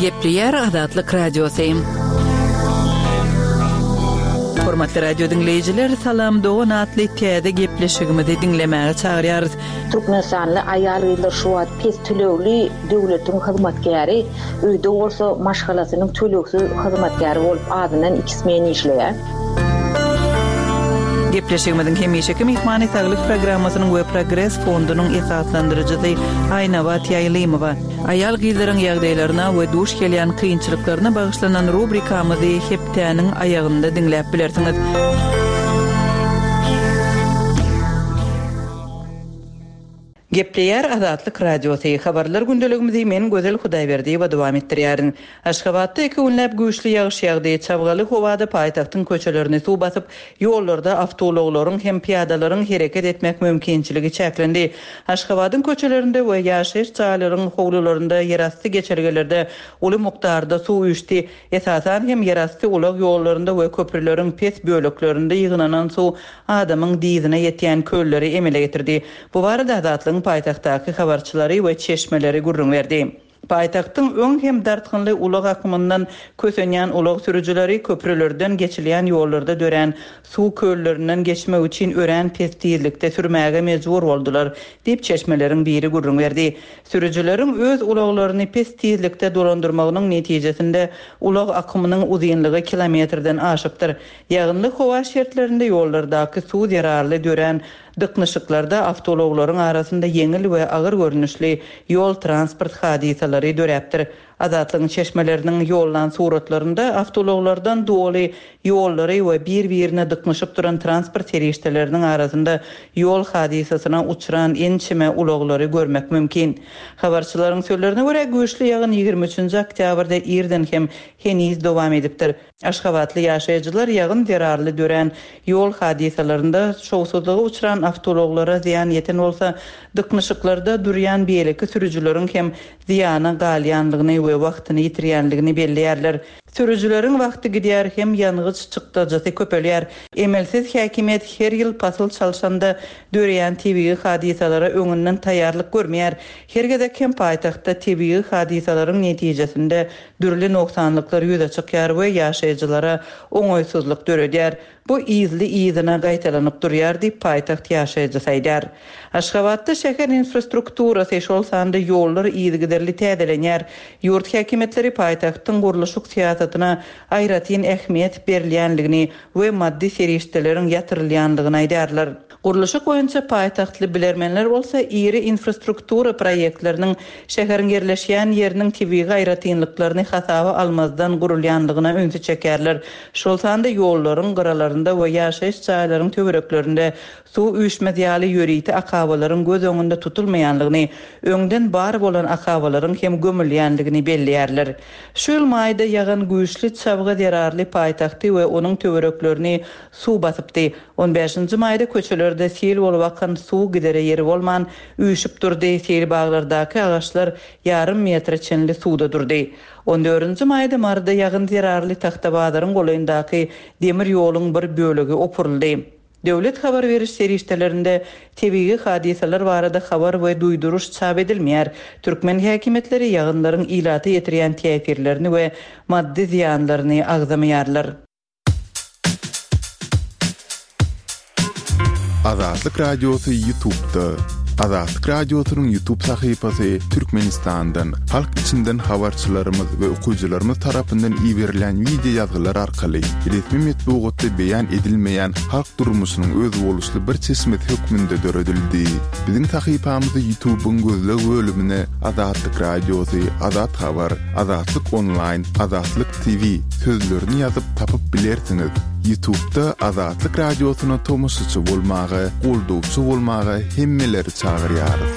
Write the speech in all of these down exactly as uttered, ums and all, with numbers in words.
Gepleýär Azatlyk Radiosy. Hormatly radio diňleýjiler, Salam dogan atly täze gepleşigimizi diňlemäge çagyrýarys. Türkmenistanly aýal-gyzlar şu wagt pes tölegli döwletiň hyzmatkäri, öýde bolsa maşgalasynyň tölegsiz hyzmatkäri bolup azyndan iki smen işleýär. Gepleşigimiziň hemişeki myhmany Saglyk programmasynyň we Progres fondunyň esaslandyryjysy Aýnabat Ýaýlymowa. Aýal-gyzlaryň ýagdaýlaryna we duş gelýän kynçylyklaryna bagyşlanan rubrikamyzy hepdäniň aýagynda diňläp bilersiňiz. Gepleýär Azatlyk Radiosy. Habarlar gündeligimizi men Gözel Hudaýberdiýewa dowam etdirýärin. Aşgabatda iki günläp güýçli ýagyş ýagdy. Çabgaly howada paýtagtyň köçelerini suw basyp, ýollarda awtoulaglaryň hem pyýadalaryň hereket etmek mümkinçiligi çäklendi. Aşgabadyň köçelerinde we ýaşaýyş jaýlaryň howlularynda ýerasty geçelgelerde uly mukdarda suw üýşdi. Esasan hem ýerasty ulag ýollarynda we köprüleriň pes böleklerinde ýygnanan suw adamyň dyzyna ýetýän kölleri emele getirdi. Bu barada Azatlygyň paýtagtdaky habarçylary we çeşmeleri gürrüň berdi. Paýtagtyň öň hem dartgynly ulag akymyndan kösenýän ulag sürüjileri köprülerden geçilýän ýollarda dörän suw köllerinden geçmek üçin örän pes tizlikde sürmäge mejbur boldular, diýip çeşmeleriň biri gürrüň berdi. Sürüjileriň öz ulaglaryny pes tizlikde dolandyrmagynyň netijesinde ulag akymynyň uzynlygy kilometrden aşypdyr. Ýagynly howa şertlerinde ýollardaky suw zerarly dörän dyknyşyklarda awtoulaglaryň arasynda ýeňil we agyr görnüşli ýol transport hadysalary döräpdir. Azatlygyň çeşmeleriniň ýollan suratlarynda awtoulaglardan doly ýollary we bir-birine dyknyşyp duran transport serişdeleriniň arasynda ýol hadysasyna uçran ençeme ulaglary görmek mümkin. Habarçylaryň sözlerine görä güýçli ýagyn ýigrimi üçünji oktýabrda irden hem heniz dowam edipdir. Aşgabatly ýaşaýjylar ýagyn zerarly dörän ýol hadysalarynda şowsuzlyga uçran awtoulaglara zyýan ýeten bolsa, dyknyşyklarda durýan beýleki sürüjileriň hem zyýana galýanlygyny we wagtyny ýitirýänligini belleýärler. Sürüjileriň wagty gidýär hem ýangyç çykdajysy köpelýär. Emelsiz häkimiýet her ýyl pasyl çalşanda döreýän tebigy hadysalara öňünden taýýarlyk görmeýär. Her gezek hem paýtagtda tebigy hadysalaryň netijesinde dürli nogsanlyklar ýüze çykýar we ýaşaýjylara oňaýsyzlyk döredýär. Bu yzly yzyna gaýtalanyp durýar diýip paýtagt ýaşaýjysy aýdar. Aşgabatda şäher infrastrukturasy şol sanda ýollar yzygiderli täzelenýär. Ýurt häkimiýetleri paýtagtyň gurluşyk syýasatyna aýratyn ähmiýet berilýänligini we maddy serişdeleriň ýatyrylýanlygyny aýdarlar. Gurluşyk boýunça paýtagtly bilermenler bolsa iri infrastruktura proýektleriniň şäheriň ýerleşýän ýeriniň tebigy aýratynlyklaryny hasaba almazdan gurulýanlygyna ünsi çekerler. Şol sanda ýollaryň gyralarynda we ýaşaýyş jaýlaryň töwereklerinde suw üýşmez ýaly ýörite akabalaryň göz öňünde tutulmaýanlygyny, öňden bar bolan akabalaryň hem gömülýänligini belleýärler. Şu ýyl maýda ýagan güýçli çabga zerarly paýtagty we onuň töwereklerini suw basypdy. On bäşinji maýda köçelerde sil bolup akan suw gidere ýeri bolman üýşüp durdy. Sil baglardaky agaçlar ýarym metre çenli suwda durdy. On dördünji maýda Maryda ýagyn zerarly Tagtabazaryň golaýyndaky demir ýoluň bir bölegi opuryldy. Döwlet habar beriş serişdelerinde tebigy hadysalar barada habar we duýduryş çap edilmeýär. Türkmen häkimiýetleri ýagynlaryň ilata ýetirýän täsirlerini we maddy zyýanlaryny agzamaýarlar. Azatlyk Radiosy YouTube'da. Azatlyk Radiosynyň YouTube sahypasy Türkmenistandan, halk içinden habarçylarymyz we okyjylarymyz tarapyndan iberilen video ýazgylar arkaly resmi metbugatda beýan edilmeýän halk durmuşynyň özboluşly bir çeşmesi hökmünde döredildi. Biziň sahypamyzy YouTube'yň gözleg bölümine Azatlyk Radiosy, Azat Habar, Azatlyk Online, Azatlyk T V sözlerini ýazyp tapyp bilersiňiz. YouTube'da Azatlyk Radiosyna tomaşaçy bolmaga, goldawçy bolmaga hemmeleri çagyrýarys.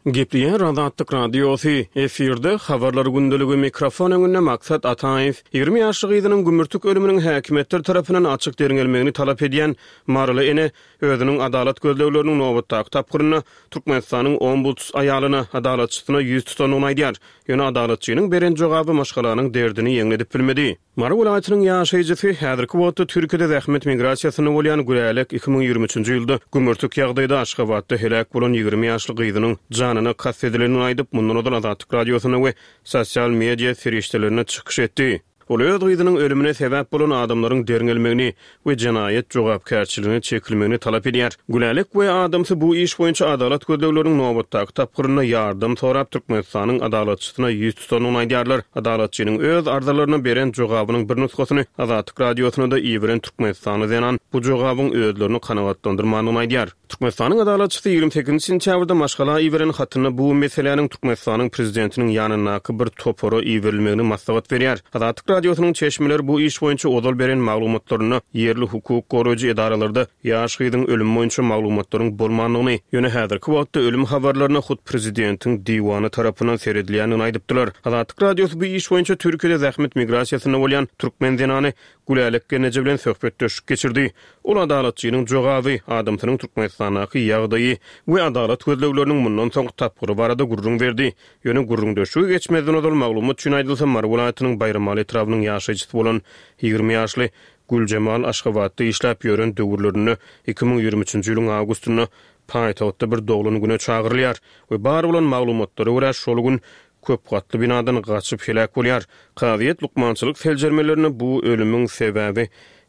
Gepleýär Azatlyk Radiosy. Efirde habarlar gündeligi mikrofon öňünde Maksat Ataýew. Ýigrimi ýaşly gyzynyň gümürtik ölüminiň häkimiýetler tarapyndan açyk derňelmegini talap edýän Maryly ene özüniň adalat gözlegleriniň nobatdaky tapgyrynda Türkmenistanyň ombuds aýalyna, adalatçysyna ýüz tutandygyny aýdýar. Ýöne adalatçynyň beren jogaby maşgalanyň derdini ýeňledip bilmedi. Mary welaýatynyň ýaşaýjysy, häzirki wagtda Türkiýede zähmet migrasiýasynda bolýan Gülälek iki müň ýigrimi üçünji ýylda gümürtik ýagdaýda Aşgabatda heläk bolan ýigrimi ýaşly gyzynyň janyna kast edilendigini aýdyp, mundan ozal Azatlyk Radiosynda we sosial media serişdelerinde çykyş etdi. Ol öz gyzynyň ölümine sebäp bolan adamlaryň derňelmegini we jenaýat jogapkärçiligine çekilmegini talap edýär. Gülälek we adamsy bu iş boýunça adalat gözlegleriniň nobatdaky tapgyrynda ýardam sorap Türkmenistanyň Adalatçysyna ýüz tutandygyny aýdýarlar. Adalatçynyň öz arzalaryna beren jogabynyň bir nusgasyny Azatlyk Radiosyna-da iberen türkmenistanly zenan bu jogabyň özlerini kanagatlandyrmandygyny aýdýar. Türkmenistanyň Adalatçysy ýigrimi sekizinji sentýabrda maşgala iberen hatynda bu meseläniň Türkmenistanyň Prezidentiniň ýanyndaky bir topara iberilmegini maslahat berýär. Azatlyk Radiosynyň çeşmeleri bu iş boýunça ozal beren maglumatlarynda ýerli hukuk goraýjy edaralarda ýaş gyzyň ölümi boýunça maglumatlaryň bolmandygyny, ýöne häzirki wagtda ölüm habarlaryna hut prezidentiň diwany tarapyndan seredilýändigini aýdypdylar. Azatlyk Radiosy bu iş boýunça Türkiýede zähmet migrasiýasynda bolýan türkmen zenany Gülälek gelneje bilen söhbetdeşlik geçirdi. Ol adalatçynyň jogaby, adamsynyň Türkmenistandaky ýagdaýy we adalat gözlegleriniň mundan soňky tapgyry barada gürrüň berdi. Ýöne gürrüňdeşlige geçmezden ozal maglumat üçin aýdylsa, Mary welaýatynyň Baýramaly etrabynyň ýaşaýjysy bolan ýigrimi ýaşly Güljemal Aşgabatda işläp ýören döwürlerinde iki müň ýigrimi üçünji ýylyň awgustynda paýtagtda bir doglan güne çagyrylýar we bar bolan maglumatlara görä şol gün köp gatly binadan gaçyp heläk bolýar. Kazyýet lukmançylyk seljermelerinde bu ölümiň sebäbi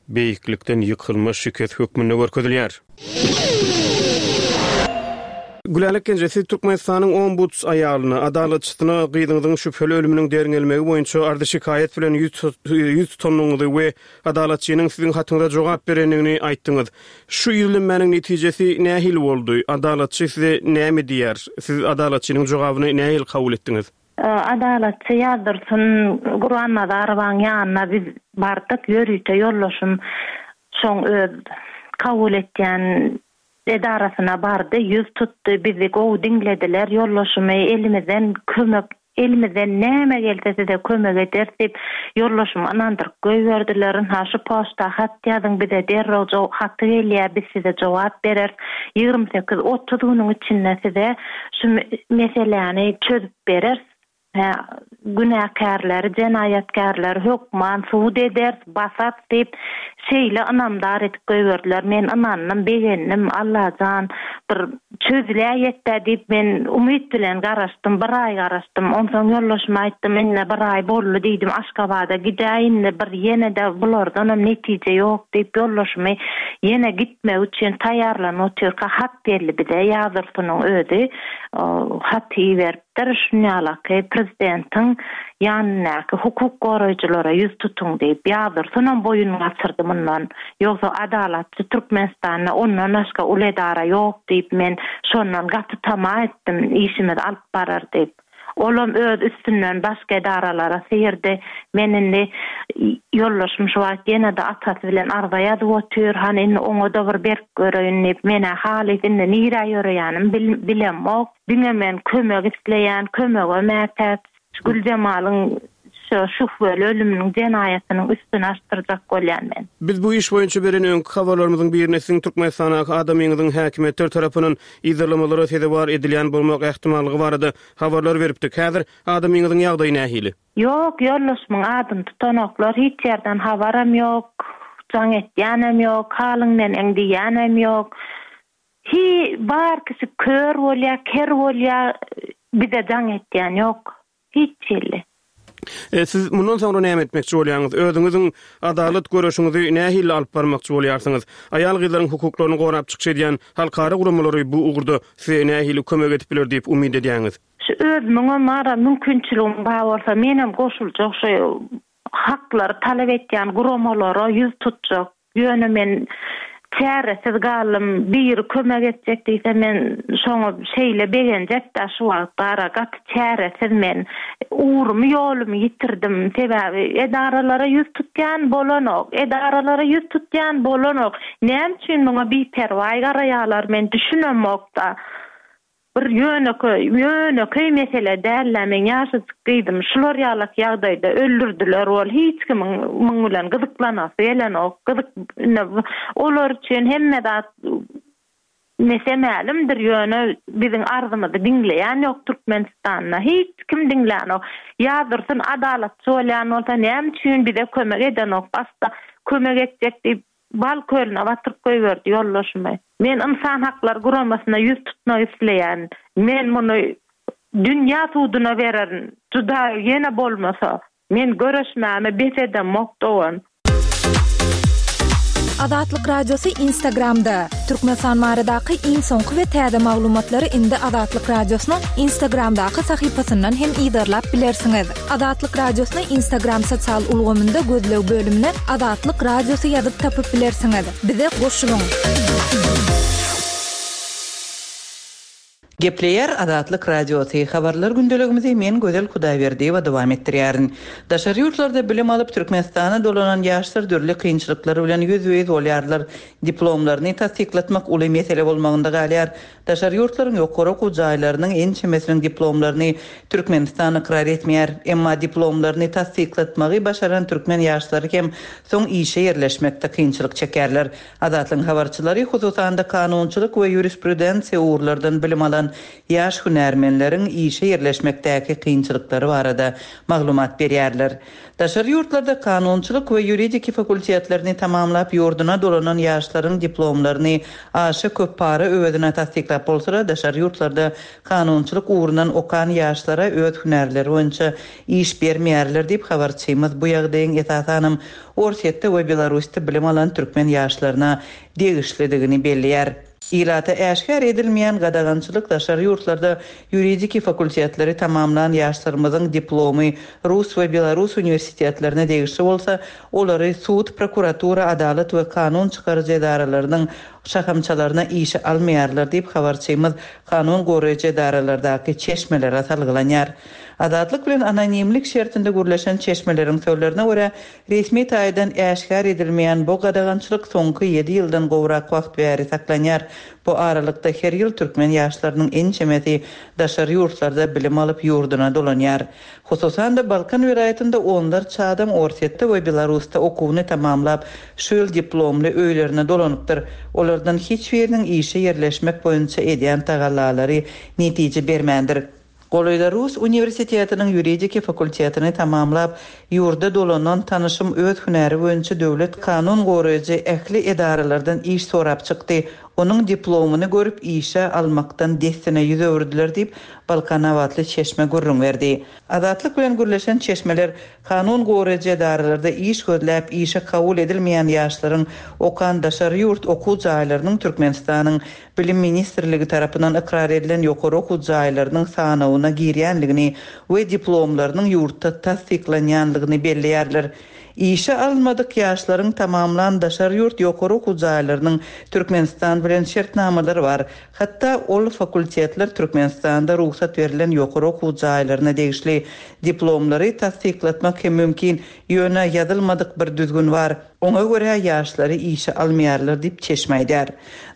beýiklikden ýykylma şikes hökmünde görkezilýär. Gülälek Genje, siz Türkmenistanyň Ombuds aýalyna, adalatçysyna gyzyňyzyň şübheli ölüminiň derňelmegi boýunça arzy-şikaýat bilen ýüz tutandygyňyzy we adalatçynyň siziň hatyňyza jogap berendigini aýtdyňyz. Şu ýüzlenmäniň netijesi nähili boldy? Adalatçy size näme diýýär? Siz adalatçynyň jogabyny nähili kabul etdiňiz? Adalatçy Ýazdursun Gurbannazarowanyň ýanyna biz bardyk, ýörite ýoldaşym şoň öz kabul etýän edarasyna bardy, ýüz tutdy, bizi gowy diňlediler, ýoldaşymy elimizden kömek, elimizden näme gelse size kömek ederis diýip, ýoldaşymy ynandyryp goýberdiler, ynha şu poçta hat ýazyň, bize derrew haty gelýär, biz size jogap bereris, ýigrimi sekiz, otuz günüň içinde size şu meseläni çözüp bereris, Hä, günäkärleri, jenaýatkärleri hökman sud ederis, basarys diýip, şeýle ynamdar edip goýberdiler. Men ynandym, begendim. Allajan, bir çözüläýetdä diýip, men umyt bilen garaşdym, bir aý garaşdym. Onsoň ýoldaşyma aýtdym, Indi bir aý boldy diýdim, Aşgabada gidäý indi, bir ýene-de bulardanam netije ýok diýip, ýoldaşymy ýene gitmek üçin taýýarlanyp otyrka hat geldi bize, Ýazdursunyň özi haty iberip. Dir, şunýalaky prezidentiň ýanyndaky hukuk goraýjylara ýüz tutuň diýip, Ýazdursunam boýun gaçyrdy mundan. Ýogsa Adalatçy Türkmenistanda ondan başga uly edara ýok diýip, men şondan gaty tama etdim, işimizi alyp barar diýip. Olam öz üstünden başga edaralara syrdy. Men indi ýoldaşym şu wagt ýene-de atasy bilen arza ýazyp otyr, hany indi oňa-da bir berip göreýin diýip, men-ä halys indi nirä ýöreýänimi bilemok. Diňe men kömek isleýän, kömege mätäç. Güljemalyň şu şühbeli ölüminiň jenaýatynyň üstüni açdyrjak bolýan men. Biz bu iş boýunça beren öňki habarlarymyzyň birinde siziň Türkmenistandaky adamyňyzyň häkimiýetler tarapyndan yzarlamalara sezewar edilýän bolmak ähtimallygy barada habarlar beripdik. Häzir adamyňyzyň ýagdaýy nähili? Ýok, ýoldaşymyň adyny tutanoklar, hiç ýerden habaram ýok, jaň etýänem ýok, halyň neneň diýýänem ýok. Hi bar kişi kör bolýa ker bolýa bize jaň etýän ýok hiç hili. Siz mundan soňra näme etmekçi bolýaňyz? Özüňiziň adalat göreşiňizi nähili alyp barmakçy bolýarsyňyz? Aýal-gyzlaryň hukuklaryny gorap çykyş edýän halkara guramalary bu ugurda size nähili kömek edip biler diýip umyt edýäňiz? Şu özümiňem bara mümkinçiligim bar bolsa menem goşuljak şu haklary talap etýän guramalara ýüz tutjak. Ýöne men çäresiz galdym. Biri kömek etjek diýse men şoňa şeýle begenjek-dä şu wagt bara gaty çäresiz men. Ugrumy ýolumy ýitirdim. Sebäbi edaralara ýüz tutýan bolanok. Edaralara ýüz tutýan bolanok. Näme üçin muňa biperwaý garaýarlar men düşünemok-da. Bir ýönekeý, ýönekeý mesele däl-dä, meň ýaşajyk gyzym şular ýalak ýagdaýda öldürdiler, ol hiç kimiň muň bilen gyzyklanasy gelenok, gyzyk, indi olar üçin hemme zat Mese-mälimdir, ýöne biziň arzymyzy diňleýän ýok Türkmenistanda. Hiç kim diňlänok. Ýazdursun adalatçy bolýan bolsa näme üçin bize kömek edenok? Başda kömek etjek diýip bal kölüne batyryp goýberdi ýoldaşymy. Men Ynsan haklary guramasyna ýüz tutmak isleýän. Men muny dünýä suduna bererin. Juda ýene bolmasa. Men göreşmämi bes edemok dogan. Azatlyk Radiosy Instagramda. Türkmenistan baradaky iň soňky we täze maglumatlary indi Azatlyk Radiosynyň Instagramdaky sahypasyndan hem yzarlap bilersiňiz. Azatlyk Radiosyny Instagram sosial ulgamynda gözleg bölümine Azatlyk Radiosy ýazyp tapyp bilersiňiz. Bize goşulyň. Gepleýär Azatlyk Radiosy, habarlar gündeligimizi men Gözel Hudaýberdiýewa dowam etdirýärin. Daşary ýurtlarda bilim alyp Türkmenistana dolanan ýaşlar dürli kynçylyklar bilen ýüzbe-ýüz bolýarlar. Diplomlaryny tassyklatmak uly mesele bolmagynda galýar. Daşary ýurtlaryň ýokary okuw jaýlarynyň ençemesiniň diplomlaryny Türkmenistan ykrar etmeýär. Emma diplomlaryny tassyklatmagy başaran türkmen ýaşlary hem soň işe ýerleşmekde kynçylyk çekerler. Azatlygyň habarçylary hususan-da kanunçylyk we ýurisprudensiýa ugurlardan bilim alan ýaş hünärmenleriň işe ýerleşmekdäki kynçylyklary barada maglumat berýärler. Daşary ýurtlarda kanunçylyk we ýuridiki fakultetlerini tamamlap ýurduna dolanan ýaşlaryň diplomlaryny aşa köp para öwezine tassyklap bolsa, daşary ýurtlarda kanunçylyk ugrundan okan ýaşlara öz hünärleri boýunça iş bermeýärler diýip habarçymyz bu ýagdaýyň esasanam Orsýetde we Belarusda bilim alan türkmen ýaşlaryna degişlidigini belleýär. Ilata äşgär edilmeýän gadagançylyk daşary ýurtlarda ýuridiki fakultetleri tamamlan ýaşlarymyzyň diplomy Rus we Belarus uniwersitetlerine degişli bolsa, olary sud, prokuratura, adalat we kanun çykaryjy edaralarynyň şahamçalaryna işe almaýarlar diýip habarçymyz kanun goraýjy edaralardaky çeşmelere salgylanýar. Azatlyk bilen anonimlik şertinde gürleşen çeşmeleriň sözlerine görä, resmi taýdan äşgär edilmeýän bu gadagançylyk soňky ýedi ýyldan gowrak wagt bäri saklanýar. Bu aralykda her ýyl türkmen ýaşlarynyň ençemesi daşary ýurtlarda bilim alyp ýurduna dolanýar. Hususan-da Balkan welaýatynda onlarça adam Orsýetde we Belarusda okuwyny tamamlap, şu ýyl diplomly öýlerine dolanypdyr. Olardan hiç biriniň işe ýerleşmek boýunça edýän tagallalary netije bermändir. Golaýda Rus uniwersitetiniň ýuridiki fakultetini tamamlap, ýurda dolanan tanyşym öz hünäri boýunça döwlet kanun goraýjy ähli edaralardan iş sorap çykdy. Onuň diplomyny görüp işe almakdan dessine ýüz öwürdiler diýip Balkanabatly çeşme gürrüň berdi. Azatlyk bilen gürleşen çeşmeler kanun goraýjy edaralarda iş gözläp işe kabul edilmeýän ýaşlaryň okan daşary ýurt okuw jaýlarynyň Türkmenistanyň Bilim ministrligi tarapyndan ykrar edilen ýokary okuw jaýlarynyň sanawyna girýänligini we diplomlarynyň ýurtda tassyklanýanlygyny belleýärler. Işe alynmadyk ýaşlaryň tamamlan daşary ýurt ýokary okuw jaýlarynyň Türkmenistan bilen şertnamalary bar. Hatda ol fakultetler Türkmenistanda rugsat berlen ýokary okuw jaýlaryna degişli diplomlary tassyklatmak hem mümkin, ýöne ýazylmadyk bir düzgün bar. Oňa görä ýaşlary işe almaýarlar diýip çeşme aýdar.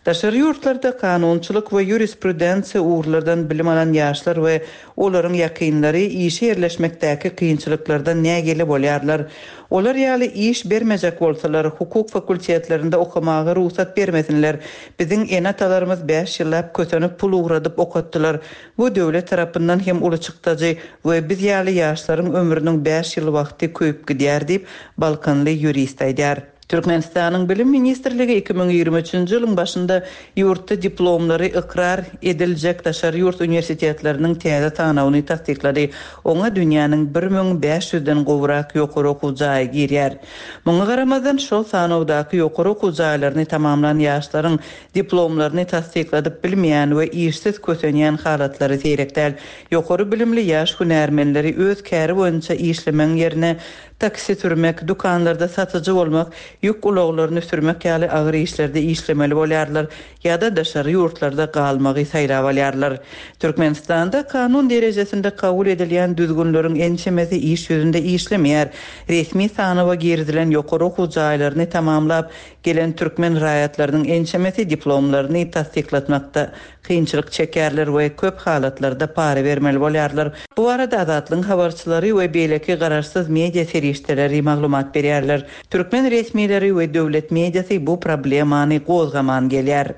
Daşary ýurtlarda kanunçylyk we ýurisprudensiýa ugurlardan bilim alan ýaşlar we olaryň ýakynlary işe ýerleşmekdäki kynçylyklardan nägile bolýarlar. Olar ýaly iş bermejek bolsalar, hukuk fakultetlerinde okamaga rugsat bermesinler. Biziň ene-atalarymyz bäş ýyllap kösenip pul ugradyp okatdylar. Bu döwlet tarapyndan hem uly çykdajy we biz ýaly ýaşlaryň ömrüniň bäş ýyl wagty köýüp gidýär diýip Balkanly ýurist aýdar. Türkmenistanyň Bilim ministrligi iki müň ýigrimi üçünji ýylyň başynda ýurtda diplomlary ykrar ediljek daşary ýurt uniwersitetleriniň täze sanawyny tassyklady. Oňa dünýäniň bir müň bäş ýüzden gowrak ýokary okuw jaýy girýär. Muňa garamazdan şol sanawdaky ýokary okuw jaýlaryny tamamlan ýaşlaryň diplomlaryny tassykladyp bilmeýän we işsiz kösenýän halatlary seýrek däl. Ýokary bilimli ýaş hünärmenleri öz käri boýunça işlemegiň ýerine taksi sürmek, dükanlarda satyjy bolmak, ýük ulaglaryny sürmek ýaly agyr işlerde işlemeli bolýarlar ýa-da daşary ýurtlarda galmagy saýlap alýarlar. Türkmenistanda kanun derejesinde kabul edilýän düzgünleriň ençemesi iş ýüzünde işlemeýär. Resmi sanawa girizilen ýokary okuw jaýlaryny tamamlap gelen türkmen raýatlarynyň ençemesi diplomlaryny tassyklatmakda kynçylyk çekerler we köp halatlarda para bermeli bolýarlar. Bu arada Azatlygyň habarçylary we beýleki garaşsyz media serişdeleri maglumat berýärler. Türkmen resmileri we döwlet mediasy bu problemany gozgaman gelýär.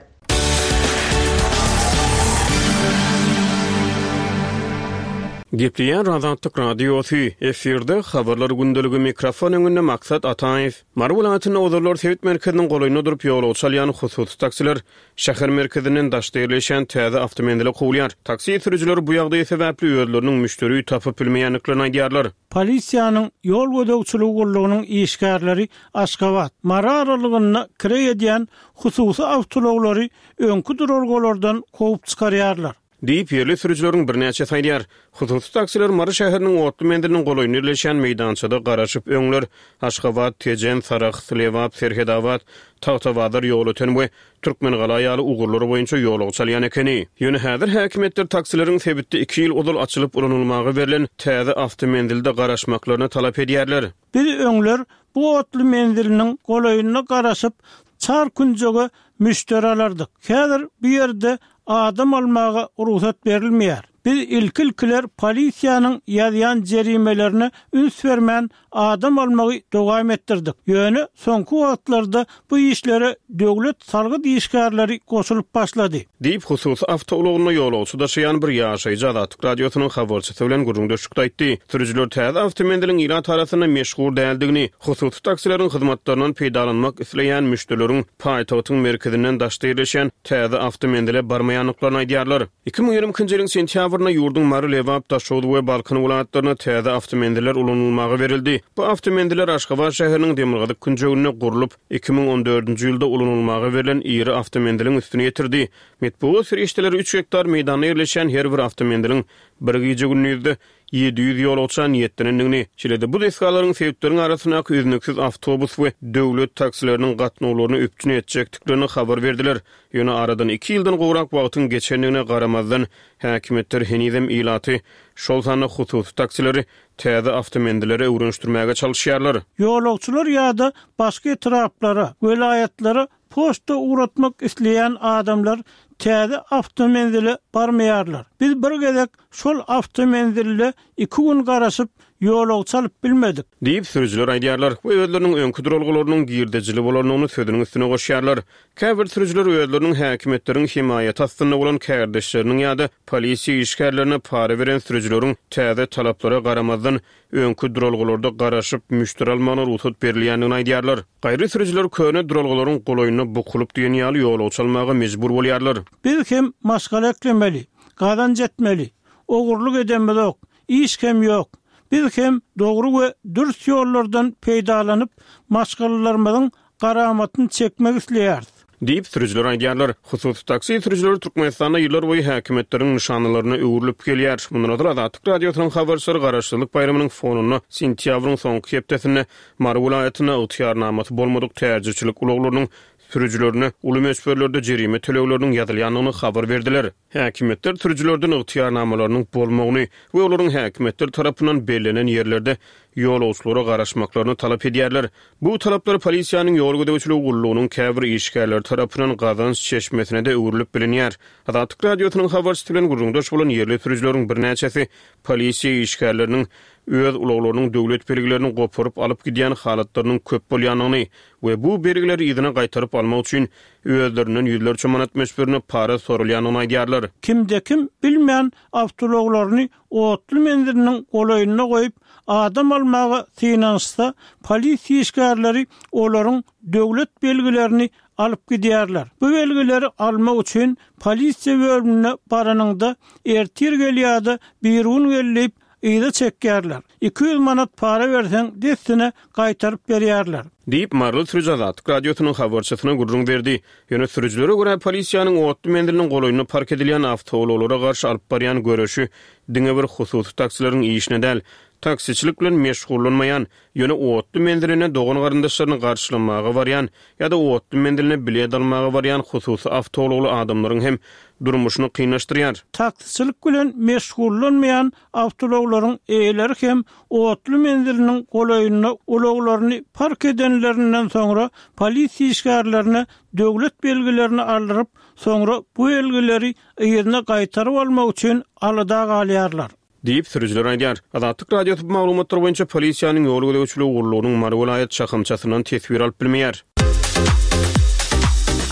Gepleýär Azatlyk Radiosy, efirde Habarlar gündeligi, mikrofon öňünde Maksat Ataýew. Mary welaýatynda ozallar sebit merkeziniň golaýynda durup ýolagçy alýan hususy taksiler şäher merkezinden daşda ýerleşýän täze awtomenzile kowulýar. Taksi sürüjileri bu ýagdaý sebäpli özleriniň müşderi tapyp bilmeýändiklerini aýdýarlar. Polisiýanyň ýol gözegçiligi gullugynyň işgärleri Aşgabat, Mary aralygynda kireý edýän hususy awtoulaglary öňki duralgalardan kowup çykarýarlar. Diýip, ýerli sürüjileriň birnäçesi aýdýar. Hususy taksiler Mary şäheriniň otly menziliniň golaýynda ýerleşýän meýdançada garaşyp, öňler Aşgabat, Tejen, Sarahs, Lebap, Serhedabat, Tagtabazar, Ýolöten we Türkmengala ýaly ugurlar boýunça ýolagçy alýan ekeni. Ýöne häzir häkimiýetler taksileriň sebitde iki ýyl ozal açylyp ulanylmaga berlen täze awtomenzilde garaşmaklaryny talap edýärler. Biz öňler bu otly menziliniň golaýynda garaşyp, çar künjege müşderi alardyk. Häzir bu ýerde adam almaga rugsat berilmeýär. Biz ilki-ilkiler polisiýanyň ýazýan jerimelerine üns bermän adam almagy dowam etdirdik. Ýöne soňky wagtlarda bu işlere döwlet salgyt işgärleri goşulyp başlady. Diýip, hususy awtoulagynda ýolagçy daşaýan bir ýaşaýjy Azatlyk Radiosynyň habarçysy bilen gürrüňdeşlikde aýtdy. Sürüjiler täze awtomenziliň ilat arasynda meşhur däldigini, hususy taksileriň hyzmatlaryndan peýdalanmak isleýän müşderileriň paýtagtyň merkezinden daşda ýerleşýän täze awtomenzile barmaýandyklaryny aýdýarlar. Iki müň ýigrimi ikinji ýylyň sentýabrynda ýurduň Mary, Lebap, Daşoguz we Balkan welaýatlarynda täze awtomenziller ulanylmaga berildi. Bu awtomenziller Aşgabat şäheriniň demirgazyk künjeginde gurlup, iki müň on dördünji ýylda ulanylmaga berlen iri awtomenziliň üstüni ýetirdi. Metbugat serişdeleri üç gektar meýdanda ýerleşýän her bir awtomenziliň bir gije-gündizde ýedi ýüz ýolagça niýetlenendigini, şeýle-de bu desgalaryň sebitleriň arasyndaky üznüksiz awtobus we döwlet taksileriniň gatnawlaryny üpjün etjekdiklerini habar berdiler. Ýöne aradan iki ýyldan gowrak wagtyň geçendigine garamazdan, häkimiýetler henizem ilaty, şol sanda hususy taksileri täze awtomenzillere öwrenişdirmäge çalyşýarlar. Ýolagçylar ýa-da başga etraplara, welaýatlara poçta ugratmak isleýän adamlar täze awtomenzile barmaýarlar. Biz bir gezek şol awtomenzilde iki gün garaşyp, ýolagçy alyp bilmedik. Diýip, sürüjiler aýdýarlar we özleriniň öňki duralgalarynyň girdejili bolandygyny sözüniň üstüne goşýarlar. Käbir sürüjiler özleriniň häkimiýetleriň hemaýaty astynda bolan kärdeşleriniň ýa-da polisiýa işgärlerine para beren sürüjileriň täze talaplara garamazdan, öňki duralgalarda garaşyp, müşderi almagyna rugsat berilýändigini aýdýarlar. Gaýry sürüjiler köne duralgalaryň golaýynda bukulyp diýen ýaly ýolagçy almaga mejbur bolýarlar. Biz hem maşgala eklemeli, gazanç etmeli, ogurlyk edemizok, iş hem ýok. Biz hem dogry we dürs ýollardan peýdalanyp, maşgalalarymyzyň garamatyny çekmek isleýäris. Diýip, sürüjiler aýdýarlar. Hususy taksi sürüjileri Türkmenistanda ýyllar boýy häkimiýetleriň nyşanalaryna öwrülip gelýär. Mundan ozal Azatlyk Radiosynyň habarçylary Garaşsyzlyk baýramynyň fonunda sentýabryň soňky hepdesinde Mary welaýatynda ygtyýarnamasy bolmadyk täjirçilik ulaglarynyň sürüjilerine uly möçberlerde jerime tölegleriniň ýazylýandygyny habar berdiler. Häkimiýetler sürüjilerden ygtyýarnamalarynyň bolmagyny we olaryň häkimiýetler tarapyndan bellenen ýerlerde ýolagçylara garaşmaklaryny talap edýärler. Bu talaplar polisiýanyň ýol gözegçiligi gullugynyň käbir işgärleri tarapyndan gazanç çeşmesine-de öwrülip bilinýär. Azatlyk Radiosynyň habarçysy bilen gürrüňdeş bolan ýerli sürüjileriň birnäçesi polisiýa işgärleriniň öz ulaglarynyň döwlet belgilerini goparyp alyp gidýän halatlarynyň köp bolýandygyny we bu belgileri yzyna gaýtaryp almak üçin özlerinden ýüzlerçe manat möçberinde para sorulýandygyny aýdýarlar. Kimde-kim bilmän awtoulaglaryny otly menziliniň golaýynda goýup, adam almaga synanyşsa, polisiýa işgärleri olaryň döwlet belgilerini alyp gidýärler. Bu belgileri almak üçin polisiýa bölümine baranyňda ertir gel ýa-da birigün gel diýip yza çekýärler. Iki ýüz manat para berseň, dessine gaýtaryp berýärler. Diýip, maryly sürüji Azatlyk Radiosynyň habarçysyna gürrüň berdi. Ýöne sürüjilere görä, polisiýanyň otly menziliniň golaýynda park edilýän awtoulaglara garşy alyp barýan göreşi diňe bir hususy taksileriň işine däl, taksiçilik bilen meşgullanmaýan, ýöne otly menziline dogan-garyndaşlaryny garşylamaga barýan ýa-da otly menziline bilet almaga barýan hususy awtoulagly adamlaryň hem durmuşyny kynlaşdyrýar. Taksiçilik bilen meşgullanmaýan awtoulaglaryň eýeleri hem otly menziliniň golaýynda ulaglaryny park edenlerinden soňra polisiýa işgärlerine döwlet belgilerini aldyryp, soňra bu belgileri yzyna gaýtaryp almak üçin alada galýarlar. Diýip, sürüjiler aýdýar. Azatlyk Radiosy bu maglumatlar boýunça polisiýanyň ýol gözegçiligi gullugynyň Mary welaýat şahamçasyndan teswir alyp bilmeýär.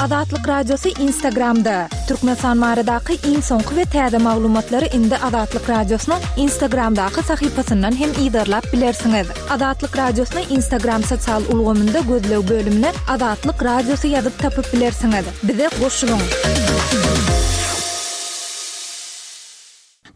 Azatlyk Radiosy Instagramda, Türkmenistan baradaky iň soňky we täze maglumatlary indi Azatlyk Radiosynyň Instagramdaky sahypasyndan hem yzarlap bilersiňiz. Azatlyk Radiosyny Instagram sosial ulgamynda gözleg bölümine Azatlyk Radiosy ýazyp tapyp bilersiňiz. Bize goşulyň!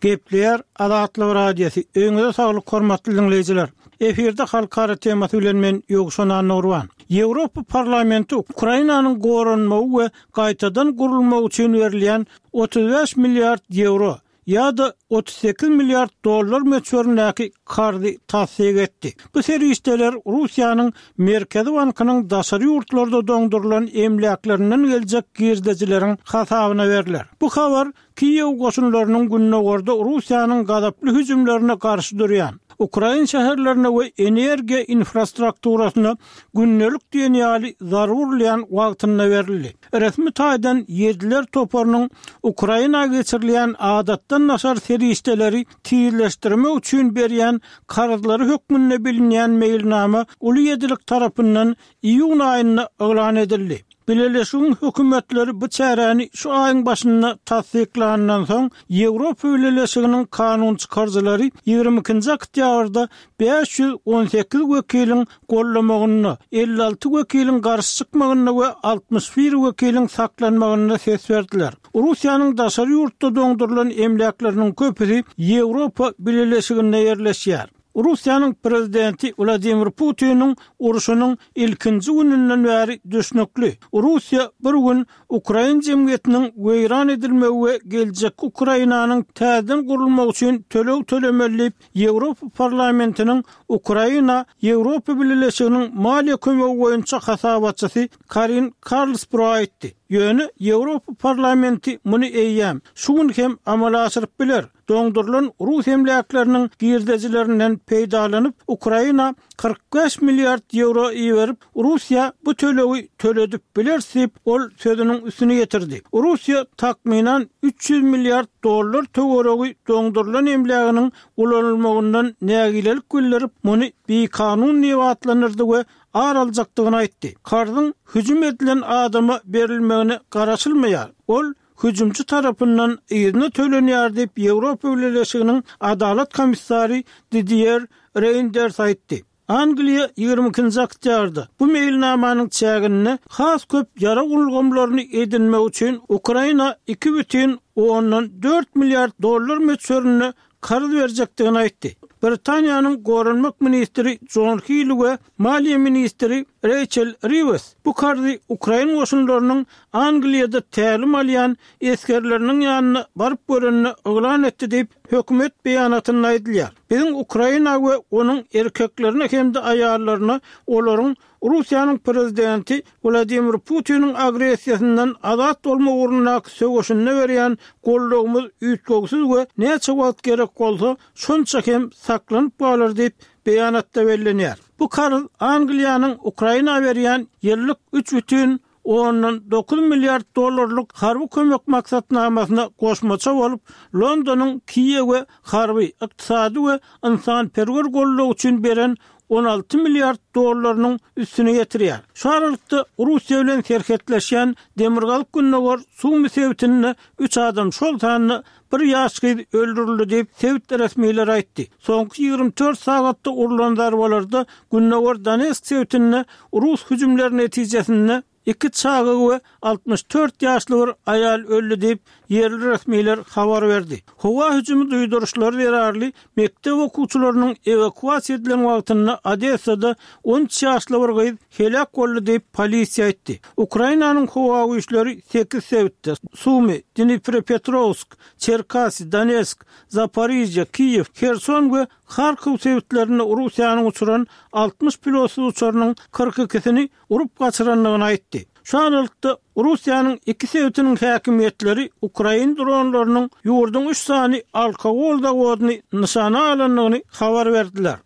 Gepleýär Azatlyk Radiosy. Öýüňize saglyk hormatly diňleýjiler. Efirde halkara temasy bilen men Ýowşan Annagurban. Ýewropa Parlamenti Ukrainanyň goranmagy we gaýtadan gurulmagy üçin berilýän otuz bäş milliard ýewro ýa-da otuz sekiz milliard dollar möçberindäki karzy tassyk etdi. Bu serişdeler Russiýanyň Merkezi bankynyň daşary ýurtlarda doňdurylan emläklerinden geljek girdejileriň hasabyna berler. Bu habar Kiýew goşunlarynyň gündogarda Russiýanyň gazaply hüjümlerine garşy durýan ukrain şäherlerine we energiýa infrastrukturasyna gündelik diýen ýaly zarba urulýan wagtynda berildi. Resmi taýdan Ýediler toparynyň Ukraina geçirilýän adatdan daşary serişdeleri tizleşdirmek üçin berýän karzlary hökmünde bilinýän meýilnama Uly Ýedilik tarapyndan iýun aýynda yglan edildi. Bileleşigiň hökümetleri bu çäräni şu aýyň başynda tassyklanyndan soň, Ýewropa Bileleşiginiň kanunçykaryjylary ýigrimi ikinji oktýabrda bäş ýüz on sekiz wekiliň gollamagynda, elli alty wekiliň garşy çykmagynda we altmyş bir wekiliň saklanmagynda ses berdiler. Russiýanyň daşary ýurtda doňdurylan emläkleriniň köpüsi Ýewropa Bileleşiginde ýerleşýär. Russiýanyň prezidenti Wladimir Putiniň urşunyň ilkinji gününden bäri düşnükli, Russiýa bir gün ukrain jemgyýetiniň weýran edilmegi we geljekki Ukrainanyň täzeden gurulmagy üçin töleg tölemeli diýip, Ýewropa Parlamentiniň Ukraina Ýewropa Bileleşiginiň maliýe kömegi boýunça hasabatçysy Karin Karlsbro aýtdy. Ýöne Ýewropa Parlamenti muny eýýäm şu gün hem amala aşyryp biler. Doňdurylan rus emläkleriniň girdejilerinden peýdalanyp, Ukraina kyrk bäş milliard ýewro iberip, Russiýa bu tölegi töledip bileris diýip, ol sözüniň üstüni ýetirdi. Russiýa takmynan üç ýüz milliard dollar töweregi doňdurylan emläginiň ulanylmagyndan nägilelik bildirip, muny bikanun diýip atlandyrdy we ar aljakdygyny aýtdy. Karzyň hüjüm edilen adama berilmegine garaşylmaýar. Ol hüjümçi tarapyndan yzyna tölenýär diýip, Ýewropa Bileleşiginiň Adalat komissary Didier Reýnders aýtdy. Angliýa ýigrimi ikinji oktýabrda bu meýilnamanyň çäginde has köp ýarag ulgamlaryny edinmek üçin Ukraina iki bütin ondan dört milliard dollar möçberinde karz berjekdigini aýtdy. Britaniýanyň goranmak ministri Jon Hili we maliýe ministri Reýçel Riwes bu karzy ukrain goşunlarynyň Angliýada tälim alýan esgerleriniň ýanyna baryp görende yglan etdi diýip, hökümet beýanatynda aýdylýar. Biziň Ukraina we onuň erkeklerine hem-de aýallaryna olaryň Russiýanyň prezidenti Wladimir Putiniň agressiýasyndan azat bolmak ugrundaky söweşinde berýän goldawymyz üýtgewsiz we näçe wagt gerek bolsa, şonça hem saklanyp galar diýip, beýanatda bellenýär. Bu karz Angliýanyň Ukraina berýän ýyllyk üç bütin ondan dokuz milliard dollarlyk harby kömek maksatnamasyna goşmaça bolup, Londonyň Kiýewe harby, ykdysady we ynsanperwer goldaw üçin beren on alty milliard dollarynyň üstüni ýetirýär. Şu aralykda Russiýa bilen serhetleşýän demirgazyk-gündogar Sumy sebitinde üç adam, şol sanda bir ýaş gyz öldürildi diýip, sebit resmileri aýtdy. Soňky ýigrimi dört sagatda urlan zarbalarda Gündogar Donetsk sebitinde rus hüjümleri netijesinde iki çaga we altmyş dört ýaşly bir aýal öldi diýip, ýerli resmiler habar berdi. Howa hüjümi duýduryşlary zerarly mekdep okuwçylarynyň ewakuasiýa edilen wagtynda Odessada on üç ýaşly bir gyz heläk boldy diýip, polisiýa aýtdy. Ukrainanyň howa güýçleri sekiz sebitde, Sumy, Dniprepetrowsk, Çerkasy, Donetsk, Zaporižýa, Kiýew, Herson we Harkow sebitlerinde Russiýanyň uçuran altmyş pilotsyz uçarynyň kyrk ikisini urup gaçyrandygyny aýtdy. Şu aralykda, Russiýanyň iki sebitiniň häkimiýetleri ukrain dronlarynyň ýurduň üç sany alkogol zawodyny nyşana alandygyny habar berdiler.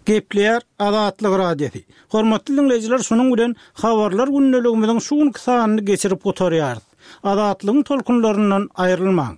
Gepleýär Azatlyk Radiosy. Hormatly diňleýjiler, şunuň bilen Habarlar gündeligimiziň şu günki sanyny geçirip gutarýarys. Azatlygyň tolkunlaryndan aýrylmaň.